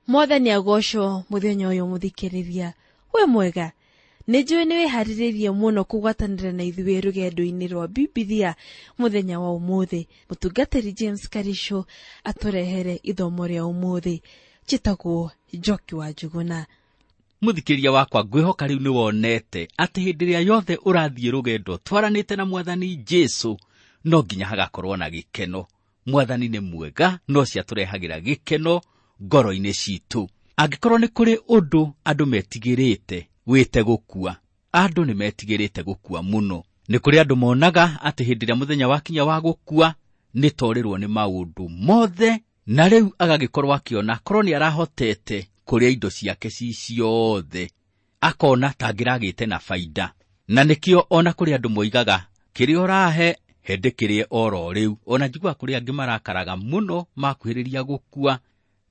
Mwathani agocwo muthenya uyu muthikiriria. We mwega, nĩ njũĩ nĩ wĩharĩrĩirie mũno kũgwatanĩra na ithuĩ rũgendo-inĩ rwa Bibilia mũthenya wa ũmũthĩ. Mũtungatĩri James Karisho atũrehere ithomo rĩa ũmũthĩ. Njĩtagwo Njoki wa Njuguna. Mũthikĩria wakwa, ngwĩhoka rĩu nĩ wonete atĩ hĩndĩ ĩrĩa yothe ũrathiĩ rũgendo twaranĩte na Mwathani Jesu, no nginya hagakorwo na gĩkeno. Mwathani nĩ mwega, no ciatũrehagĩra gĩkeno ngoro-inĩ citũ. Angĩkorwo nĩ kũrĩ ũndũ andũ metigĩrĩte, wĩte gũkua. Andũ nĩ metigĩrĩte gũkua mũno. Nĩ kũrĩ andũ monaga atĩ hĩndĩ ĩrĩa mũthenya wakinya wa gũkua, nĩ torĩrwo nĩ maũndũ mothe, na rĩu agagĩkorwo akĩona korwo nĩ arahotete kũrĩa indo ciake ci ciothe, akona ta angĩragĩte na baida. Na nĩkĩo ona kũrĩ andũ moigaga, kĩrĩa ũrahe, hĩndĩ kĩrĩe oro rĩu. Ona njiguaga kũrĩ angĩ marakaraga mũno makuhĩrĩria gũkua,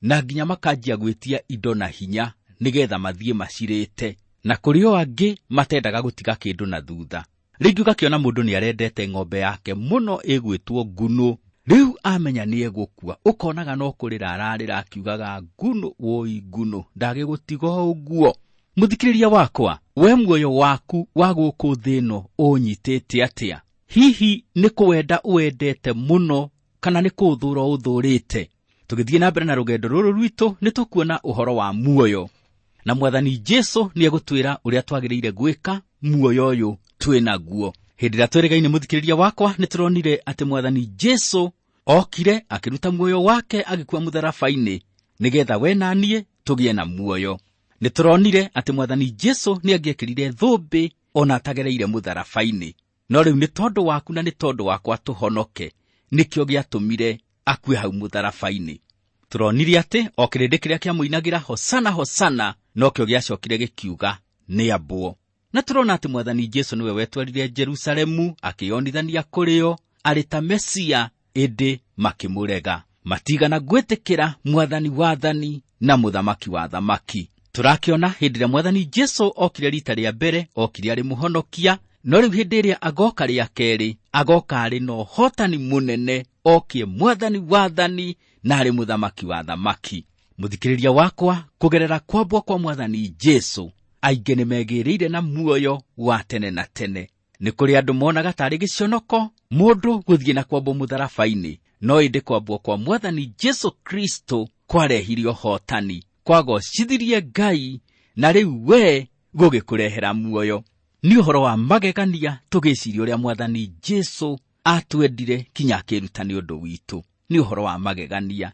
na nginya makanjia gwĩtia indo na hinya nĩgetha mathiĩ macirĩte. Na kũrĩ o angĩ matendaga gũtiga kĩndũ na thutha. Rĩngĩ ũgakĩona mũndũ nĩ arendete ng'ombe yake mũno ĩgwĩtwo ngunũ. Rĩu amenya nĩ egũkua, ũkonaga no kũrĩra ararĩra akiugaga ngunũ, woi ngunũ, ndagĩgũtiga ũguo. Mũthikĩrĩria wakwa, we muoyo waku wa gũkũ thĩ ĩno ũnyitĩte atĩa? Hihi nĩ kũwenda ũwendete mũno kana nĩ kũũthũra ũũthũrĩte? Tũgĩthiĩ na mbere na rũgendo rũrũ rwitũ, nĩ tũkuona ũhoro wa muoyo. Na Mwathani Jesu nĩ egũtwĩra ũrĩa twagĩrĩire gwĩka muoyo ũyũ twĩ naguo. Hĩndĩ ĩrĩa twĩrĩgaine mũthikĩrĩria wakwa, nĩ tũronire atĩ Mwathani Jesu okire akĩruta muoyo wake agĩkua mũtharaba-inĩ nĩgetha we na niĩ tũgĩe na muoyo. Nĩ tũronire atĩ Mwathani Jesu nĩ angĩekĩrire thũmbĩ ona atagereire mũtharaba-inĩ. No rĩu nĩ tondũ waku na nĩ tondũ wakwa tũhonoke, nĩkĩo gĩatũmire akue hau mũtharaba-inĩ. Tũronire atĩ o kĩrĩndĩ kĩrĩa kĩamũinagĩra hosana hosana, nokĩo gĩacokire gĩkiuga nĩ ambwo. Na tũrona atĩ Mwathani Jesu nĩwe wetwarire Jerusalemu akĩyonithania kũrĩ o arĩ ta Mesia, ĩndĩ makĩmũrega. Matigana gwĩtĩkĩra Mwathani wathani na Mũthamaki wa thamaki. Tũrakĩona hĩndĩ ĩrĩa Mwathani Jesu okire rita rĩa mbere, okire arĩ mũhonokia, no rĩu hĩndĩ ĩrĩa agoka rĩa kerĩ, agoka arĩ na ũhotani mũnene, okie Mwathani wathani na arĩ Mũthamaki wa thamaki. Mũthikĩrĩria wakwa, kũgerera kwambwo kwa Mwathani Jesu, aingĩ nĩ megĩrĩire na muoyo wa tene na tene. Nĩ kũrĩ andũ monaga tarĩ gĩconoko mũndũ gũthiĩ na kwambwo mũtharaba-inĩ, no ĩndĩ kwambwo kwa Mwathani Jesu Kristo kwarehire ũhotani, kwagocithirie Ngai, na rĩu we gũgĩkũrehera muoyo. Nĩ ũhoro wa magegania tũgĩciria ũrĩa Mwathani Jesu atwendire kinya akĩruta nĩ ũndũ witũ. Nĩ ũhoro wa magegania.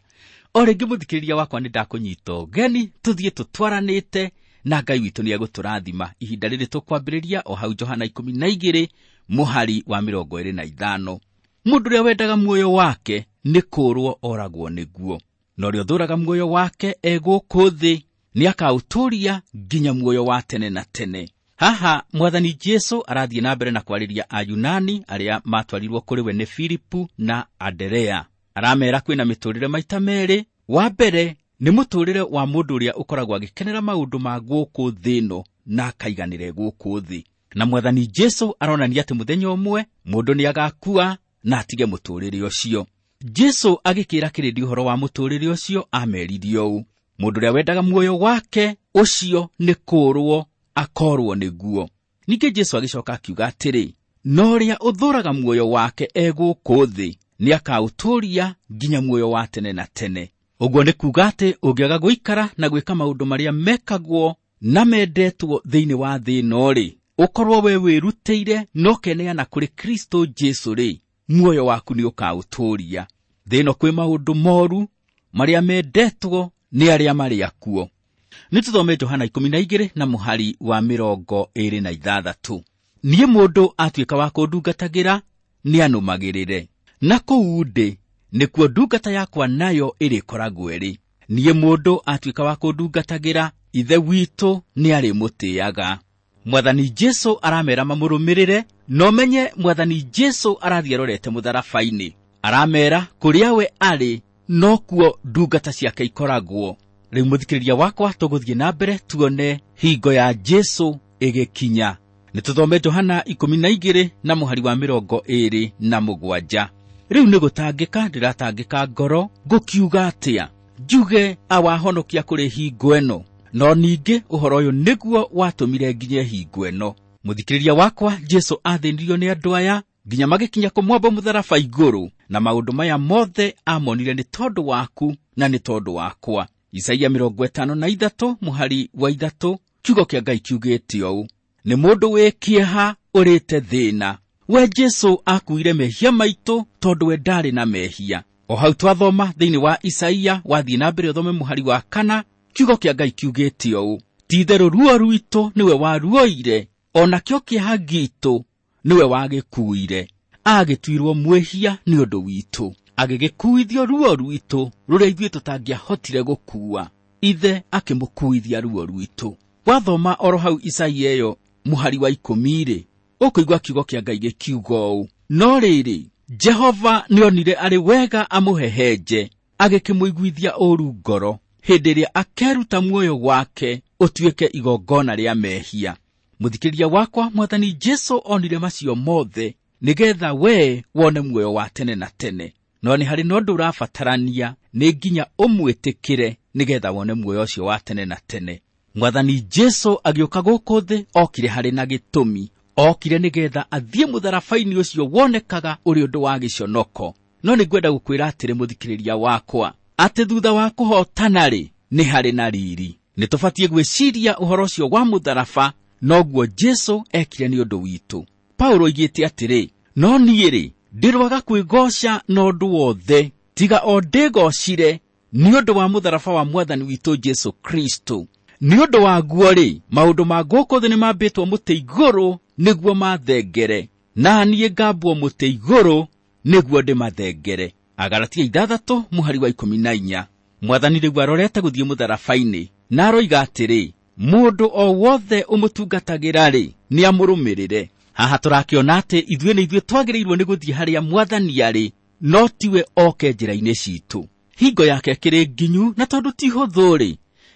O rĩngĩ mũthikĩrĩria wakwa, nĩ ndakũnyita ũgeni tũthiĩ tũtwaranĩte na Ngai witũ nĩ egũtũrathima. Ihinda rĩrĩ tũkwambĩrĩria o hau Johana 12 mũhari wa 25. Mũndũ ũrĩa wendaga muoyo wake nĩ kũũrwo oragwo nĩguo, na ũrĩa ũthũraga muoyo wake e gũkũ thĩ nĩ akaũtũũria nginya muoyo wa tene na tene. Haha Mwathani Jesu arathiĩ na mbere na kwarĩria Ayunani arĩa matwarirwo kũrĩ we nĩ Filipu na Anderea. Aramera kwĩna mĩtũrĩre maita merĩ. Wa mbere nĩ mũtũrĩre wa mũndũ ũrĩa ũkoragwo agĩkenera maũndũ ma gũkũ thĩ ĩno na akaiganĩre gũkũ thĩ. Na Mwathani Jesu aronania atĩ mũthenya ũmwe mũndũ nĩ agakua na atige mũtũrĩre ũcio. Jesu agĩkĩra kĩrĩndĩ ũhoro wa mũtũrĩre ũcio, ameririe ũũ: mũndũ ũrĩa wendaga muoyo wake ũcio nĩ kũũrwo akorwo nĩguo. Ningĩ Jesu agĩcoka akiuga atĩrĩ, no ũrĩa ũthũraga muoyo wake e gũkũ thĩ nĩ akaũtũũria nginya muoyo wa tene na tene. Ũguo nĩ kuuga atĩ ũngĩaga gũikara na gwĩka maũndũ marĩa mekagwo na mendetwo thĩinĩ wa thĩ ĩno-rĩ, ũkorwo we wĩrutĩire na ũkeneana kũrĩ Kristo Jesu-rĩ, muoyo waku nĩ ũkaũtũũria. Thĩ ĩno kwĩ maũndũ moru marĩa mendetwo nĩ arĩa marĩ akuo. Nĩ tũthome Johana 12 na mũhari wa 26. Niĩ mũndũ atuĩka wa kũndungatagĩra nĩ anũmagĩrĩre, na kũu ndĩ nĩkuo ndungata yakwa nayo ĩrĩkoragwo ĩrĩ. Niĩ mũndũ atuĩka wa kũndungatagĩra, Ithe witũ nĩ arĩmũtĩaga. Mwathani Jesu aramera mamũrũmĩrĩre, na ũmenye Mwathani Jesu arathiĩ arorete mũtharaba-inĩ. Aramera kũrĩa we arĩ nokuo ndungata ciake ikoragwo. Rĩu mũthikĩrĩria wakwa, tũgũthiĩ na mbere tuone hingo ya Jesu ĩgĩkinya. Nĩ tũthome Johana 12 na mũhari wa 27. Rĩu nĩ gũtangĩka ndĩratangĩka ngoro, ngũkiuga atĩa? Njuge awahonokia kũrĩ hingo ĩno, no ningĩ ũhoro ũyũ nĩguo watũmire nginye hingo ĩno. Mũthikĩrĩria wakwa, Jesũ athĩnirio nĩ andũ aya nginya magĩkinya kũmwamba mũtharaba igũrũ, na maũndũ maya mothe amonire nĩ tondũ waku na nĩ tondũ wakwa. Isaia 53 mũhari wa 3, kiugo kĩa Ngai kiugĩte ũũ: nĩ mũndũ wĩ kĩeha ũrĩte thĩna. We Jesũ akuire mehia maitũ tondũ we ndarĩ na mehia. O hau twathoma thĩinĩ wa Isaia, wathiĩ na mbere ũthome mũhari wa 4, kiugo kĩa Ngai kiugĩte ũũ: ti-itherũ ruo rwitũ nĩwe waruoire, o nakĩo kĩeha gitũ nĩwe wagĩkuire. Agĩtuirwo mwĩhia nĩ ũndũ witũ, agĩgĩkuithio ruo rwitũ rũrĩa ithuĩ tũtangĩahotire gũkua. Ithe akĩmũkuithia ruo rwitũ. Wathoma oro hau Isaia ĩyo mũhari wa 10-rĩ, ũkũigua kiugo kĩa Ngai gĩkiuga ũũ: no rĩrĩ, Jehova nĩonire arĩ wega amũhehenje, agĩkĩmũiguithia ũũru ngoro hĩndĩ ĩrĩa akeruta muoyo wake ũtuĩke igongona rĩa mehia. Mũthikĩrĩria wakwa, Mwathani Jesũ onire macio mothe nĩgetha we wone muoyo wa tene na tene. No nĩ harĩ na ũndũ ũrabatarania, nĩ nginya ũmwĩtĩkĩre nĩgetha wone muoyo ũcio wa tene na tene. Mwathani Jesũ agĩũka gũkũ thĩ okire harĩ na gĩtũmi, okire nĩgetha athiĩ mũtharaba-inĩ ũcio wonekaga ũrĩ ũndũ wa gĩconoko. No nĩngwenda gũkwĩra atĩrĩ mũthikĩrĩria wakwa, atĩ thutha wa kũhotana-rĩ, nĩ harĩ na riri. Nĩ tũbatiĩ gwĩciria ũhoro ũcio wa mũtharaba, noguo Jesũ ekire nĩ ũndũ witũ. Paulo oigĩte atĩrĩ, no niĩ-rĩ, ndĩrwaga kwĩgooca na ũndũ wothe, tiga o ndĩgoocire nĩ ũndũ wa mũtharaba wa Mwathani witũ Jesũ Kristo. Nĩ ũndũ waguo-rĩ, maũndũ ma gũkũ thĩ nĩmambĩtwo mũtĩ igũrũ nĩguo mathengere, na niĩ ngambwo mũtĩ igũrũ nĩguo ndĩmathengere. Agalatia 6 mũhari wa 14. Mwathani rĩu arorete gũthiĩ mũtharaba-inĩ, na aroiga atĩrĩ, mũndũ o wothe ũmũtungatagĩra-rĩ, nĩamũrũmĩrĩre. Haha tũrakĩona atĩ ithuĩ nĩ ithuĩ twagĩrĩirwo nĩ gũthiĩ harĩa Mwathani arĩ, no tiwe oke njĩra-inĩ citũ. Hingo yake ĩkĩrĩ nginyu, na tondũ ti hũthũ-rĩ,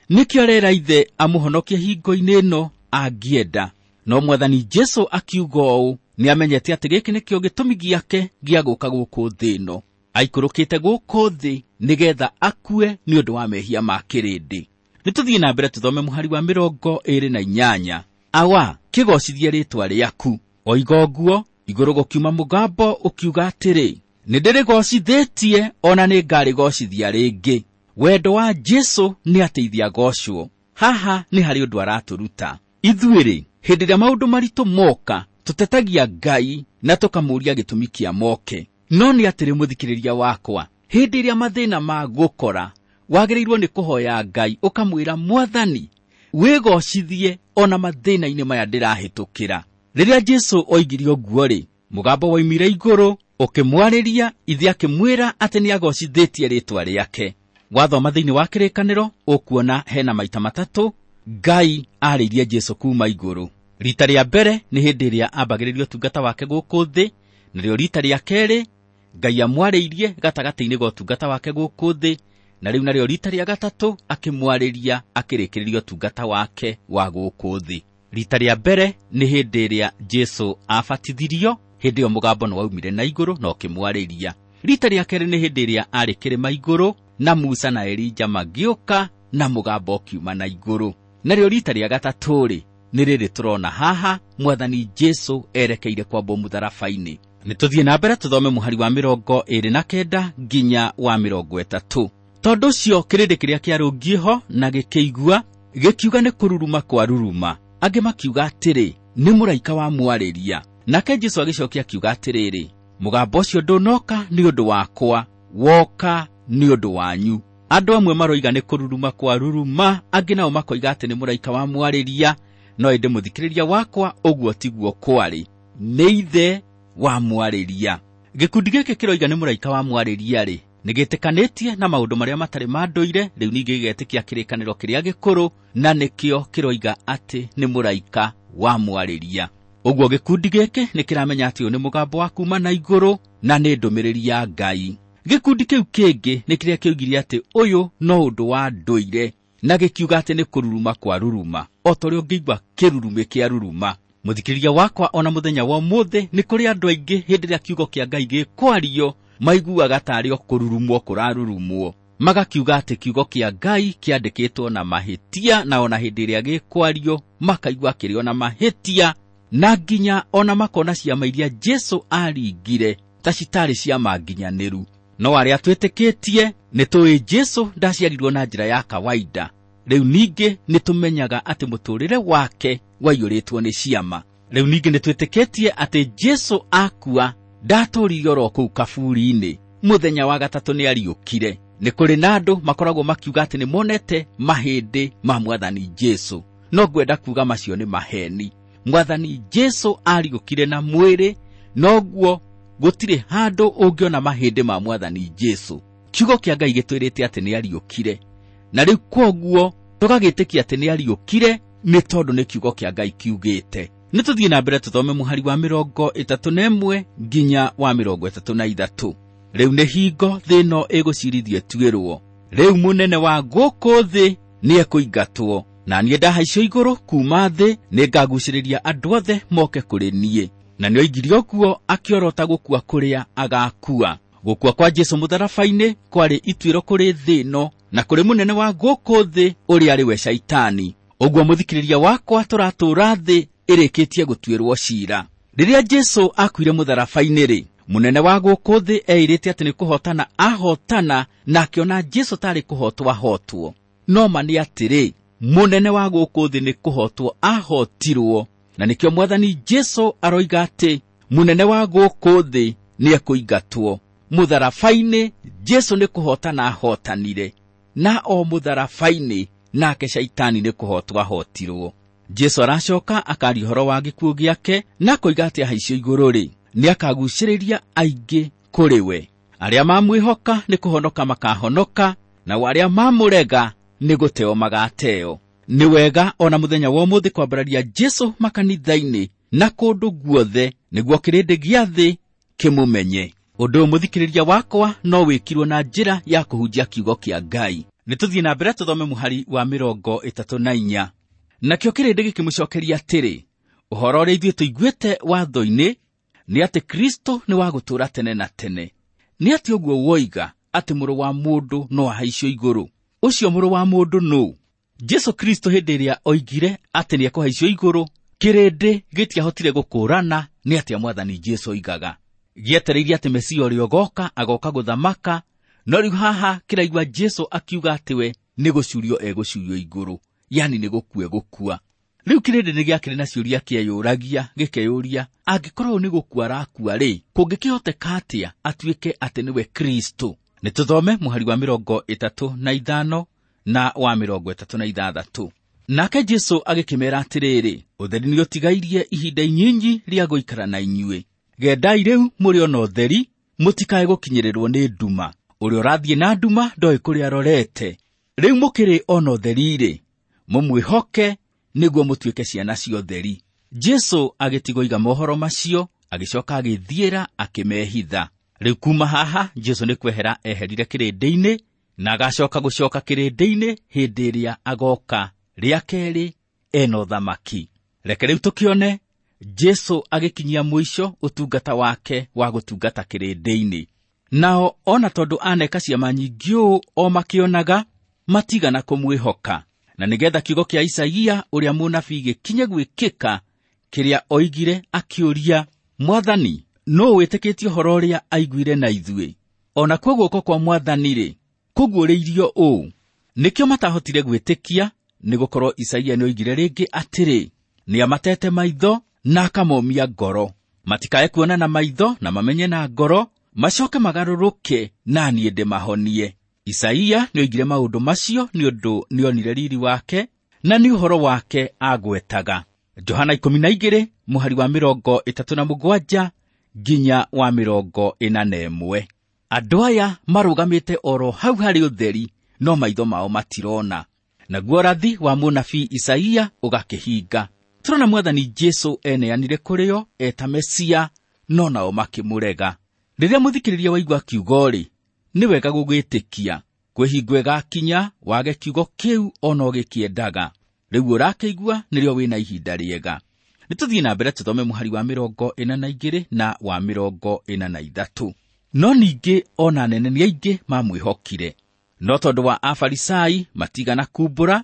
nĩkĩo arera ithe amũhonokie hingo-inĩ ĩno angĩenda. No Mwathani Jesũ akiuga ũũ, nĩamenyete atĩ gĩkĩ nĩkĩo gĩtũmi gĩake gĩa gũka gũkũ thĩ ĩno. Aikũrũkĩte gũkũ thĩ nĩgetha akue nĩ ũndũ wa mehia ma kĩrĩndĩ. Nĩtũthiĩ na mbere tũthome mũhari wa 28. Awa, kĩgoocithie rĩĩtwa rĩaku. Oiga ũguo, igũrũ gũkiuma mũgambo ũkiuga atĩrĩ, nĩndĩrĩgoocithĩtie ona nĩngarĩgoocithia rĩngĩ. Wendo wa Jesũ nĩ ateithia agocwo. Haha nĩ harĩ ũndũ aratũruta. Ithuĩ-rĩ, hĩndĩ ĩrĩa maũndũ maritũ moka, tũtetagia Ngai na tũkamũũria gĩtũmi kĩa moke. No nĩ atĩrĩ mũthikĩrĩria wakwa, hĩndĩ ĩrĩa mathĩna magũkora, wagĩrĩirwo nĩ kũhoya Ngai ũkamwĩra, Mwathani, wĩgocithie ona mathĩna-inĩ maya ndĩrahĩtũkĩra. Rĩrĩa Jesũ oigire ũguo-rĩ, mũgambo woimire igũrũ ũkĩmwarĩria, ithe akĩmwĩra atĩ nĩagocithĩtie rĩĩtwa rĩake. Wathoma thĩinĩ wa kĩrĩkanĩro ũkuona hena maita matatũ Ngai arĩirie Jesũ kuma igũrũ. Rita rĩa mbere nĩ hĩndĩ ĩrĩa ambagĩrĩria ũtungata wake gũkũ thĩ, narĩo rita rĩa kerĩ Ngai amwarĩirie gatagatĩ-inĩ ga ũtungata wake gũkũ thĩ, na rĩu narĩo rita rĩa gatatũ akĩmwarĩria akĩrĩkĩrĩria ũtungata wake wa gũkũ thĩ. Rita rĩa mbere nĩ hĩndĩ ĩrĩa Jesũ abatithirio, hĩndĩ ĩyo mũgambo nĩwaumire na igũrũ na ũkĩmwarĩria. Rita rĩa kerĩ nĩ hĩndĩ ĩrĩa arĩ kĩrĩma igũrũ na Musa na Elija magĩũka na mũgambo ũkiuma na igũrũ. Narĩo rita rĩa gatatũ-rĩ, nĩ rĩrĩ tũrona haha Mwathani Jesũ erekeire kwambwo mũtharaba-inĩ. Nĩtũthiĩ na mbere tũthome mũhari wa 29 nginya wa 30. Tondũ ũcio kĩrĩndĩ kĩrĩa kĩarũngiĩ ho na gĩkĩigua, gĩkiuga nĩ kũruruma kwa ruruma. Angĩ makiuga atĩrĩ, nĩ mũraika wamwarĩria. Nake Jesũ agĩcokia akiuga atĩrĩrĩ, mũgambo ũcio ndũnoka nĩ ũndũ wakwa, woka nĩ ũndũ wanyu. Andũ amwe maroiga nĩ kũruruma kwa ruruma, angĩ nao makoiga atĩ nĩ mũraika wamwarĩria. No ĩndĩ mũthikĩrĩria wakwa, ũguo tiguo kwarĩ, nĩ ithe wamwarĩria. Gĩkundi gĩkĩ kĩroiga nĩ mũraika wamwarĩria-rĩ, nĩgĩtĩkanĩtie na maũndũ marĩa matarĩ ma ndũire, rĩu ningĩ gĩgetĩkia kĩrĩkanĩro kĩrĩa gĩkũrũ, na nĩkĩo kĩroiga atĩ nĩ mũraika wamwarĩria. Ũguo gĩkundi gĩkĩ nĩkĩramenya atĩ ũyũ nĩ mũgambo wa kuma na igũrũ na nĩ ndũmĩrĩri ya Ngai. Gĩkundi kĩu kĩngĩ nĩ kĩrĩa kĩoigire atĩ ũyũ no ũndũ wa ndũire, na gĩkiuga atĩ nĩ kũruruma kwa ruruma, o ta ũrĩa ũngĩigua kĩrurumĩ kĩa ruruma. Mũthikĩrĩria wakwa, ona mũthenya wa ũmũthĩ nĩ kũrĩ andũ aingĩ hĩndĩ ĩrĩa kiugo kĩa Ngai gĩkwario maiguaga tarĩ o kũrurumwo kũrarurumwo. Magakiuga atĩ kiugo kĩa Ngai kĩandĩkĩtwo na mahĩtia, na ona hĩndĩ ĩrĩa gĩkwario makaigua kĩrĩ ona mahĩtia, na nginya ona makona ciama iria Jesu aringire ta citarĩ ciama nginyanĩru. No arĩa twĩtĩkĩtie nĩ tũĩ Jesu ndaciarirwo na njĩra ya kawaida. Rĩu ningĩ nĩ tũmenyaga atĩ mũtũũrĩre wake waiyũrĩtwo nĩ ciama. Rĩu ningĩ nĩ twĩtĩkĩtie atĩ Jesu akua ndatũũrire oro kũu kaburi-inĩ, mũthenya wa gatatũ nĩ ariũkire. Nĩ kũrĩ na andũ makoragwo makiuga atĩ nĩ monete mahĩndĩ ma Mwathani Jesu, no ngwenda kuuga macio nĩ maheni. Mwathani Jesu ariũkire na mwĩrĩ, noguo gũtirĩ handũ ũngĩona mahĩndĩ ma Mwathani Jesu. Kiugo kĩa Ngai gĩtwĩrĩte atĩ nĩ ariũkire, na rĩu kwoguo tũgagĩtĩkia atĩ nĩ ariũkire nĩ tondũ nĩ kiugo kĩa Ngai kiugĩte. Nĩ tũthiĩ na mbere tũthome mũhari wa 31 nginya wa 33. Rĩu nĩ hingo thĩ ĩno ĩgũcirithio ĩtuĩrwo. Rĩu mũnene wa gũkũ thĩ nĩ ekũingatwo, na niĩ ndahaicio igũrũ kuuma thĩ nĩngagucĩrĩria andũ othe moke kũrĩ niĩ. Na nĩoigire ũguo akĩorota gũkua kũrĩa agakua. Gũkua kwa Jesu mũtharaba-inĩ kwarĩ ituĩro kũrĩ thĩ ĩno na kũrĩ mũnene wa gũkũ thĩ ũrĩa arĩ we Shaitani. Ũguo mũthikĩrĩria wakwa, tũratũũra thĩ ĩrĩkĩtie gũtuĩrwo ciira. Rĩrĩa Jesu akuire mũtharaba-inĩ rĩ, mũnene wa gũkũ thĩ eirĩte atĩ nĩ kũhotana ahotana, na akĩona Jesu tarĩ kũhotwo ahotwo. No ma nĩ atĩrĩ, mũnene wa gũkũ thĩ nĩ kũhotwo ahotirwo, na nĩkĩo Mwathani Jesu aroiga atĩ mũnene wa gũkũ thĩ nĩ ekũingatwo. Mũtharaba-inĩ Jesu nĩ kũhotana ahotanire, na o mũtharaba-inĩ nake Shaitani nĩ kũhotwo ahotirwo. Jesu aracoka akaria ũhoro wa gĩkuũ gĩake na akoiga atĩ ahaicio igũrũ rĩ, nĩ akagucĩrĩria aingĩ kũrĩ we. Arĩa mamwĩhoka nĩ kũhonoka makahonoka, nao arĩa mamũrega nĩ gũteo magateo. Nĩ wega ona mũthenya wa ũmũthĩ kwambararia Jesu makanitha-inĩ na kũndũ guothe nĩguo kĩrĩndĩ gĩa thĩ kĩmũmenye. Ũndũ ũyũ mũthikĩrĩria wakwa no wĩkirwo na njĩra ya kũhunjia kiugo kĩa Ngai. Nĩ tũthiĩ na mbere tũthome mũhari wa 34. Nakĩo kĩrĩndĩ gĩkĩmũcookeria atĩrĩ, ũhoro ũrĩa ithuĩ tũiguĩte watho-inĩ nĩ atĩ Kristo nĩ wa gũtũũra tene na tene. Nĩ atĩ ũguo woiga atĩ mũrũ wa mũndũ no ahaicio igũrũ. Ũcio mũrũ wa mũndũ nũ? Jesu Kristo hĩndĩ ĩrĩa oigire atĩ nĩ ekũhaicio igũrũ, kĩrĩndĩ gĩtiahotire gũkũũrana nĩ atĩa Mwathani Jesu oigaga. Gĩetereire atĩ Mesia ũrĩa ũgoka agoka gũthamaka, no rĩu haha kĩraigua Jesu akiuga atĩ we nĩ gũcurio egũcurio igũrũ, yani nĩ gũkua egũkua. Rĩu kĩrĩndĩ nĩ gĩakĩrĩ na ciũria kĩeyũragia, gĩkeyũria, angĩkorwo nĩ gũkua arakua rĩ, kũngĩkĩhoteka atĩa atuĩke atĩ nĩwe Kristo? Nĩ tũthome mũhari wa 35 na wa 36. Nake Jesu agĩkĩmeera atĩrĩrĩ, ũtheri nĩũtigairie ihinda inyinyi rĩa gũikara na inyuĩ. Gendai rĩu mũrĩ ona ũtheri, mũtikae gũkinyĩrĩrwo nĩ nduma. Ũrĩa ũrathiĩ na nduma ndoĩ kũrĩa arorete. Rĩu mũkĩrĩ ona ũtheri-rĩ, mũmwĩhoke nĩguo mũtuĩke ciana cia ũtheri. Jesu agĩtigoiga mohoro macio, agĩcoka agĩthiĩra akĩmehitha. Rĩu kuma haha Jesu nĩ kwehera eherire kĩrĩndĩ-inĩ, na agacoka gũcoka kĩrĩndĩ-inĩ hĩndĩ ĩrĩa agoka rĩa kerĩ ena ũthamaki. Reke rĩu tũkĩone Jesu agĩkinyia mũico ũtungata wake wa gũtungata kĩrĩndĩ-inĩ. Nao ona tondũ aneka ciama nyingĩ ũũ o makĩonaga, matigana kũmwĩhoka. Na nĩgetha kiugo kĩa Isaia ũrĩa mũnabii gĩkinye gwĩkĩka, kĩrĩa oigire akĩũria, Mwathani, nũũ wĩtĩkĩtie ũhoro ũrĩa aiguire na ithuĩ? O nakuo guoko kwa Mwathani-rĩ, kũguũrĩirio ũũ. Nĩkĩo matahotire gwĩtĩkia, nĩgũkorwo Isaia nĩoigire rĩngĩ atĩrĩ, nĩamatete maitho na akamomia ngoro, matikae kuona na maitho na mamenye na ngoro, macoke magarũrũke na niĩ ndĩmahonie. Isaia nĩoigire maũndũ macio nĩ ũndũ nĩonire riri wake, na nĩ ũhoro wake agwetaga. Johana 12 mũhari wa 37 nginya wa 41. Andũ aya marũgamĩte oro hau harĩ ũtheri, no maitho mao matirona. Naguo ũrathi wa mũnabii Isaia ũgakĩhinga. Tũrona Mwathani Jesu eneanire kũrĩ o eta Mesia, no nao makĩmũrega. Rĩrĩa mũthikĩrĩria waigua kiugo-rĩ, nĩ wega gũgĩtĩkia. Kwĩ hingo ĩgakinya wage kiugo kĩu ona ũgĩkĩendaga. Rĩu ũrakĩigua nĩrĩo wĩna ihinda rĩega. Nĩ tũthiĩ na mbere tũthome mũhari wa 42 na wa 43. No ningĩ ona anene nĩ aingĩ mamwĩhokire. No tondũ wa Afarisai matigana kumbũra,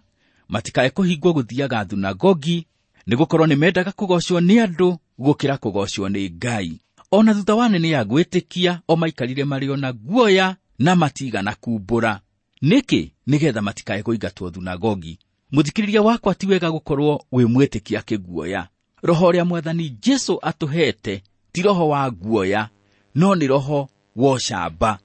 matikae kũhingwo gũthiaga thunagogi, nĩgũkorwo nĩmendaga kũgoocwo nĩ andũ gũkĩra kũgoocwo nĩ Ngai. Ona thutha wa nene ya gwĩtĩkia, o maikarire marĩ ona guoya na matigana kumbũra. Nĩkĩ? Nĩgetha matikae kũingatwo thunagogi. Mũthikĩrĩria wakwa, ti wega gũkorwo wĩ mwĩtĩkia kĩguoya. Roho ũrĩa Mwathani Jesũ atũhete ti roho wa guoya, no nĩ roho wa ũcamba.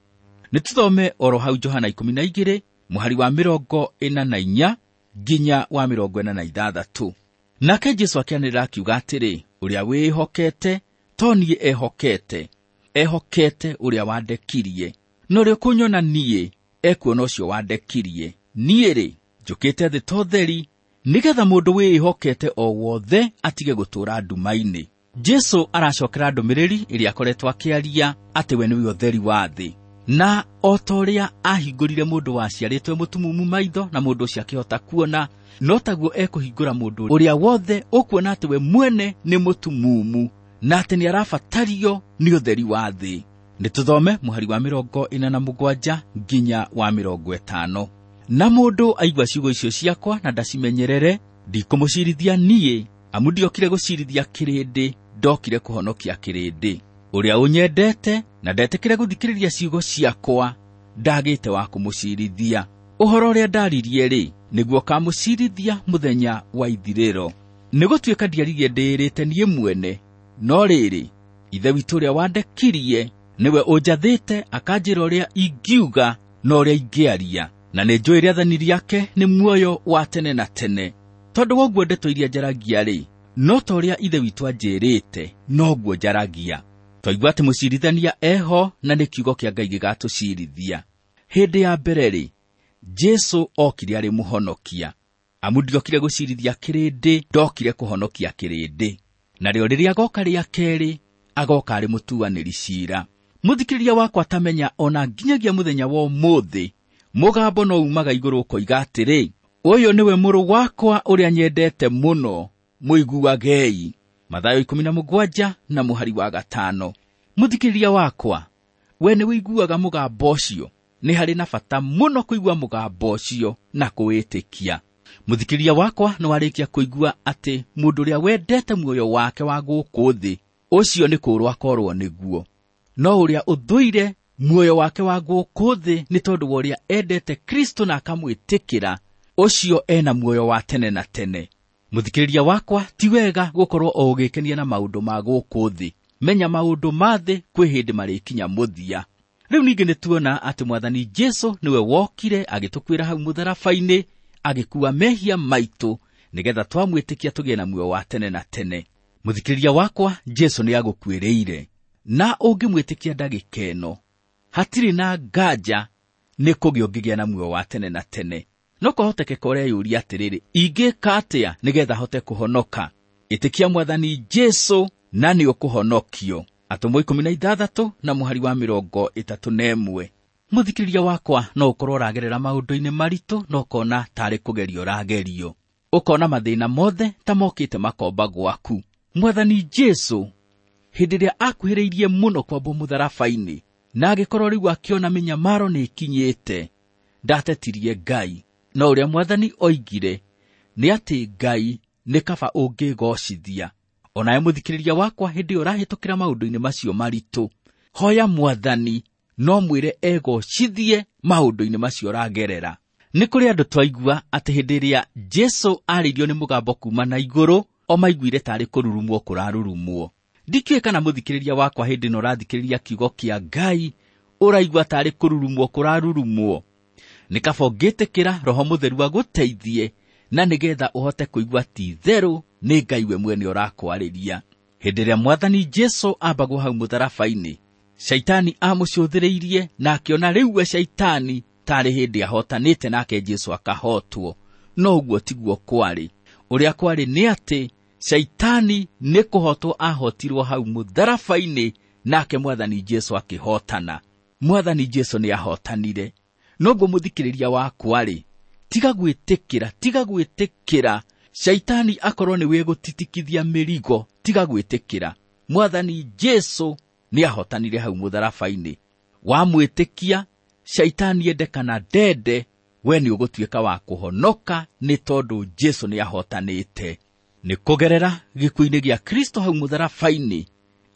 Nĩtũthome oro hau Johana 12 mũhari wa 44 nginya wa 46. Nake Jesũ akĩanĩrĩra akiuga atĩrĩ, ũrĩa wĩhokete to niĩ ehokete, ehokete ũrĩa wandekirie. Na ũrĩa ũkũnyona niĩ ekuona ũcio wandekirie. Niĩ-rĩ, njũkĩte thĩ ta ũtheri, nĩgetha mũndũ wĩĩhokete o wothe atige gũtũũra nduma-inĩ. Jesũ aracokera ndũmĩrĩri ĩrĩa akoretwo akĩaria atĩ we nĩwe ũtheri wa thĩ. Na o ta ũrĩa ahingũrire mũndũ waciarĩtwo mũtumumu maitho na mũndũ ũcio akĩhota kuona, no taguo ekũhingũra mũndũ ũrĩa wothe ũkuona atĩ we mwene nĩ mũtumumu na atĩ nĩarabatario nĩ ũtheri wa thĩ. Nĩtũthome mũhari wa 47 nginya wa 50. Na mũndũ aigua ciugo icio ciakwa na ndacimenyerere, ndikũmũcirithia niĩ, amu ndiokire gũcirithia kĩrĩndĩ, ndokire kũhonokia kĩrĩndĩ. Ũrĩa ũnyendete na ndetĩkĩre gũthikĩrĩria ciugo ciakwa, ndagĩte wa kũmũcirithia. Ũhoro ũrĩa ndaririe-rĩ, nĩguo ũkamũcirithia mũthenya wa ithirĩro. Nĩgũtuĩka ndiaririe ndĩĩrĩte niĩ mwene, no rĩrĩ, Ithe witũ ũrĩa wandekirie nĩwe ũnjathĩte akanjĩra ũrĩa ingiuga na ũrĩa ingĩaria, na nĩnjũĩ rĩathani rĩake nĩ muoyo wa tene na tene. Tondũ wa ũguo ndeto iria njaragia-rĩ, no ta ũrĩa Ithe witũ anjĩrĩte, noguo njaragia. Twaigua atĩ mũcirithania eho na nĩ kiugo kĩa Ngai gĩgatũcirithia. Hĩndĩ ya mbere-rĩ, Jesũ okire arĩ mũhonokia. Amu ndiokire gũcirithia kĩrĩndĩ, ndokire kũhonokia kĩrĩndĩ. Narĩo rĩrĩa agoka rĩa kerĩ, agoka arĩ mũtuanĩri ciira. Mũthikĩrĩria wakwa tamenya ona nginyagia mũthenya wa ũmũthĩ, mũgambo no umaga igũrũ ũkoiga atĩrĩ, ũyũ nĩwe mũrũ wakwa ũrĩa nyendete mũno, mũiguagei. Mathayo 17 na mũhari wa 5. Mũthikĩrĩria wakwa, we nĩwĩiguaga mũgambo ũcio? Nĩ harĩ na bata mũno kũigua mũgambo ũcio na kũwĩtĩkia. Mũthikĩrĩria wakwa, nĩwarĩkia kũigua atĩ mũndũ ũrĩa wendete muoyo wake wa gũkũ thĩ, ũcio nĩ kũũrwo akorwo nĩguo. No ũrĩa ũthũire muoyo wake wa gũkũ thĩ nĩ tondũ wa ũrĩa endete Kristo na akamwĩtĩkĩra, ũcio ena muoyo wa tene na tene. Mũthikĩrĩria wakwa, ti wega gũkorwo o ũgĩkenia na maũndũ ma gũkũ thĩ. Menya maũndũ ma thĩ kwĩ hĩndĩ marĩkinya mũthia. Rĩu ningĩ nĩtuona atĩ Mwathani Jesũ nĩwe wokire agĩtũkuĩra hau mũtharaba-inĩ, agĩkua mehia maitũ, nĩgetha twamwĩtĩkia tũgĩe na muoyo wa tene na tene. Mũthikĩrĩria wakwa, Jesũ nĩagũkuĩrĩire, na ũngĩmwĩtĩkia ndagĩka ĩno, hatirĩ na nganja nĩ kũgĩa ũngĩgĩa na muoyo wa tene na tene. No kwahoteke ũreyũria atĩrĩrĩ, ingĩka atĩa nĩgetha hote kũhonoka? Ĩtĩkia Mwathani Jesũ na nĩũkũhonokio. Atũmwo 16 na mũhari wa 31. Mũthikĩrĩria wakwa, no ũkorwo ũragerera maũndũ-inĩ maritũ na ũkona tarĩ kũgerio ũragerio, ũkona mathĩna mothe ta mokĩte makomba gwaku. Mwathani Jesũ hĩndĩ ĩrĩa akuhĩrĩirie mũno kwambwo mũtharaba-inĩ, na agĩkorwo rĩu akĩona mĩnyamaro nĩĩkinyĩte, ndatetirie Ngai. No ũrĩa Mwathani oigire nĩ atĩ Ngai nĩ kaba ũngĩgocithia. Onawe mũthikĩrĩria wakwa, hĩndĩ ĩyo ũrahĩtũkĩra maũndũ-inĩ macio maritũ, hoya Mwathani no mwĩre egocithie maũndũ-inĩ macio ũragerera. Nĩ kũrĩ andũ twaigua atĩ hĩndĩ ĩrĩa Jesũ arĩirio nĩ mũgambo kuma na igũrũ, o maiguire tarĩ kũrurumwo kũrarurumwo. Ndikĩũĩ kana mũthikĩrĩria wakwa hĩndĩ ĩno ũrathikĩrĩria kiugo kĩa Ngai ũraigua tarĩ kũrurumwo kũrarurumwo. Nĩ kaba ũngĩtĩkĩra Roho Mũtheru agũteithie, na nĩgetha ũhote kũigua ti itherũ nĩ Ngai we mwene ũrakwarĩria. Hĩndĩ ĩrĩa Mwathani Jesũ ambagwo hau mũtharaba-inĩ, Shaitani amũcũthĩrĩirie na akĩona rĩu we Shaitani tarĩ hĩndĩ ahotanĩte nake Jesũ akahotwo. No ũguo tiguo kwarĩ. Ũrĩa kwarĩ nĩ atĩ Shaitani nĩ kũhotwo ahotirwo hau mũtharaba-inĩ, nake Mwathani Jesũ akĩhotana. Mwathani Jesũ nĩ ahotanire. Noguo mũthikĩrĩria wakwa-rĩ, tiga gwĩtĩkĩra, tiga gwĩtĩkĩra Shaitani akorwo nĩwe gũtitikithia mĩrigo, tiga gwĩtĩkĩra. Mwathani Jesũ nĩ ahotanire hau mũtharaba-inĩ. Wamwĩtĩkia, Shaitani ende kana ndende, we nĩ ũgũtuĩka wa kũhonoka nĩ tondũ Jesu nĩ ahotanĩte. Nĩ kũgerera gĩkuũ-inĩ gĩa Kristo hau mũtharaba-inĩ,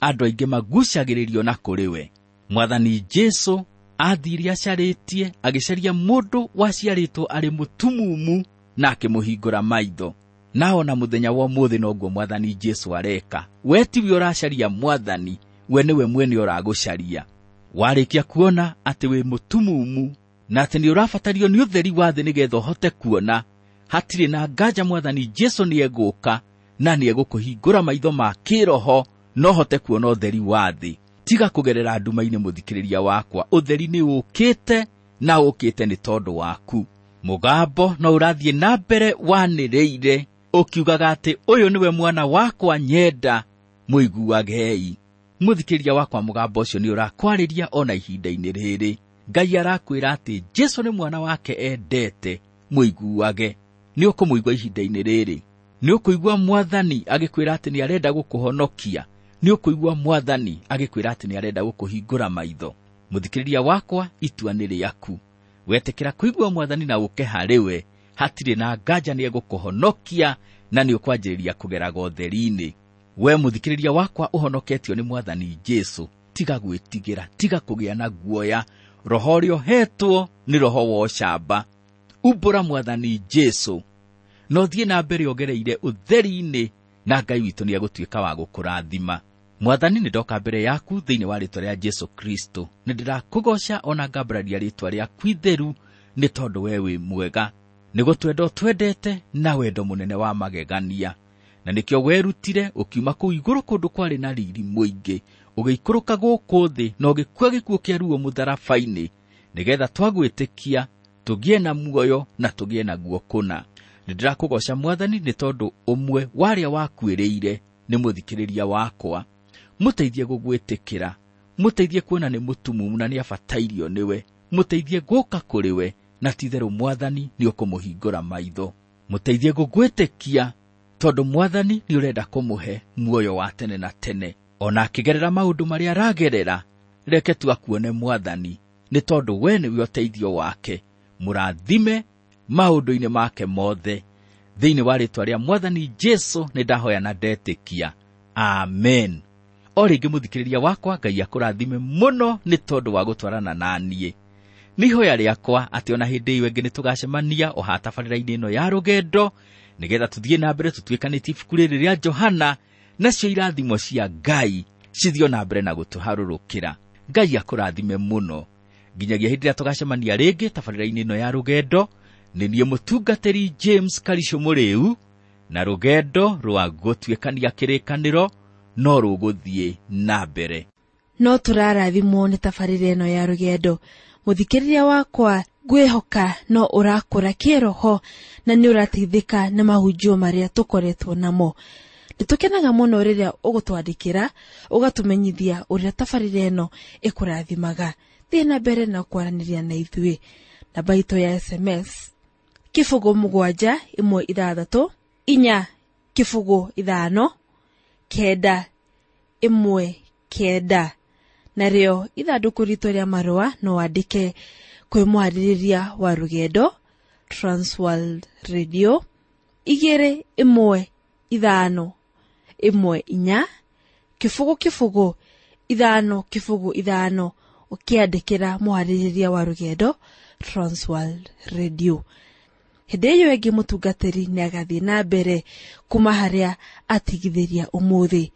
andũ aingĩ magucagĩrĩrio na kũrĩ we. Mwathani Jesu aathiire acarĩtie, agĩcaria mũndũ waciarĩtwo arĩ mũtumumu na akĩmũhingũra maitho. Na ona mũthenya wa ũmũthĩ noguo Mwathani Jesu areka. We tiwe ũracaria Mwathani, we nĩwe mwene ũragũcaria. Warĩkia kuona atĩ wĩ mũtumumu na atĩ nĩ ũrabatario nĩ ũtheri wa thĩ nĩgetha ũhote kuona, hatirĩ na nganja Mwathani Jesu nĩ egũka na nĩ egũkũhingũra maitho ma kĩroho na ũhote kuona ũtheri wa thĩ. Tiga kũgerera nduma-inĩ, mũthikĩrĩria wakwa, ũtheri nĩ ũkĩte na ũkĩte nĩ tondũ waku. Mũgambo no ũrathiĩ na mbere wanĩrĩire ũkiugaga atĩ ũyũ nĩwe mwana wakwa nyenda, mũiguagei. Mũthikĩrĩria wakwa, mũgambo ũcio nĩ ũrakwarĩria ona ihinda-inĩ rĩrĩ. Ngai arakwĩra atĩ Jesu nĩ mwana wake endete, mũiguage. Nĩ ũkũmũigua ihinda-inĩ rĩrĩ. Nĩ ũkũigua Mwathani agĩkwĩra atĩ nĩ arenda gũkũhonokia. Nĩ ũkũigua Mwathani agĩkwĩra atĩ nĩ arenda gũkũhingũra maitho. Mũthikĩrĩria wakwa, itua nĩ rĩaku. Wetĩkĩra kũigua Mwathani na ũke harĩ we, hatirĩ na nganja nĩ egũkũhonokia na nĩ ũkwanjĩrĩria kũgeraga ũtheri-inĩ. We mũthikĩrĩria wakwa, ũhonoketio nĩ Mwathani Jesu, tiga gwĩtigĩra, tiga kũgĩa na guoya. Roho ũrĩa ũhetwo nĩ roho wa ũcamba. Umbũra Mwathani Jesu na ũthiĩ na mbere ũgereire ũtheri-inĩ, na Ngai witũ nĩ egũtuĩka wa gũkũrathima. Mwathani, nĩ ndoka mbere yaku thĩinĩ wa rĩĩtwa rĩa Jesu Kristo. Nĩ ndĩrakũgoca ona ngambararia rĩĩtwa rĩaku itheru, nĩ tondũ we wĩ mwega. Nĩ gũtwenda ũtwendete na wendo mũnene wa magegania. Na nĩkĩo werutire ũkiuma kũu igũrũ kũndũ kwarĩ na riri mũingĩ, ũgĩikũrũka gũkũ thĩ na ũgĩkua gĩkuũ kĩa ruo mũtharaba-inĩ, nĩgetha twagwĩtĩkia tũgĩe na muoyo na tũgĩe naguo kũna. Nĩ ndĩrakũgoca Mwathani nĩ tondũ ũmwe wa arĩa wakuĩrĩire nĩ mũthikĩrĩria wakwa. Mũteithie gũgwĩtĩkĩra, mũteithie kuona nĩ mũtumumu na nĩ abatairio nĩwe, mũteithie gũka kũrĩ we, na ti-itherũ Mwathani nĩ ũkũmũhingũra maitho. Mũteithie gũgwĩtĩkia tondũ Mwathani nĩ ũrenda kũmũhe muoyo wa tene na tene. Ona akĩgerera maũndũ marĩa aragerera, reke tu akuone Mwathani, nĩ tondũ we nĩwe ũteithio wake. Mũrathime maũndũ-inĩ make mothe. Thĩinĩ wa rĩĩtwa rĩa Mwathani Jesu nĩ ndahoya na ndetĩkia. Amen. O rĩngĩ mũthikĩrĩria wakwa, Ngai akũrathime mũno nĩ tondũ wa gũtwarana na niĩ. Nĩ ihoya rĩakwa atĩ ona hĩndĩ ĩyo ĩngĩ nĩ tũgacemania o hatabarĩra-inĩ ĩno ya rũgendo, nĩgetha tũthiĩ na mbere tũtuĩkanĩtie ibuku rĩrĩ rĩa Johana, nacio irathimo cia Ngai cithiĩ na mbere na gũtũharũrũkĩra. Ngai akũrathime mũno nginyagia hĩndĩ ĩrĩa tũgacemania rĩngĩ tabarĩra-inĩ ĩno ya rũgendo. Nĩ niĩ mũtungatĩri James Karisho Mũrĩu, na rũgendo rwa gũtuĩkania kĩrĩkanĩro no rũgũthiĩ na mbere. No tũrarathimwo nĩ tabarĩra ĩno ya rũgendo. Mũthikĩrĩria wakwa, ngwĩhoka no ũrakũra kĩroho na nĩ ũrateithĩka nĩ mahunjio marĩa tũkoretwo namo. Nĩ tũkenaga mũno rĩrĩa ũgũtwandĩkĩra, ũgatũmenyithia ũrĩa tabarĩra ĩno ĩkũrathimaga. Thiĩ na mbere na kwaranĩria na ithuĩ. Namba itũ ya SMS 0 7 1 6 4 0 5 9 1 9. Narĩo ithandũkũ ritũ rĩa marũa no wandĩke kwĩ mwarĩrĩria wa rũgendo, Transworld Radio 2 1 5 1 4 0 0 5 0 5, ũkĩandĩkĩra mwarĩrĩria wa rũgendo, Transworld Radio. Hĩndĩ ĩyo ĩngĩ mũtungatĩri nĩ agathiĩ na mbere kuma harĩa atigithĩria ũmũthĩ.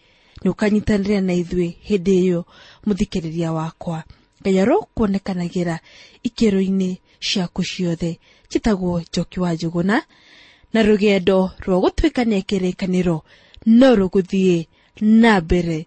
Nĩ ũkanyitanĩra na ithuĩ hĩndĩ ĩyo, mũthikĩrĩria wakwa. Ngai arokuonekanagĩra ikĩro-inĩ ciaku ciothe. Njĩtagwo Njoki wa Njũgũna, na rũgendo rwa gũtuĩkania kĩrĩkanĩro no rũgũthiĩ na mbere.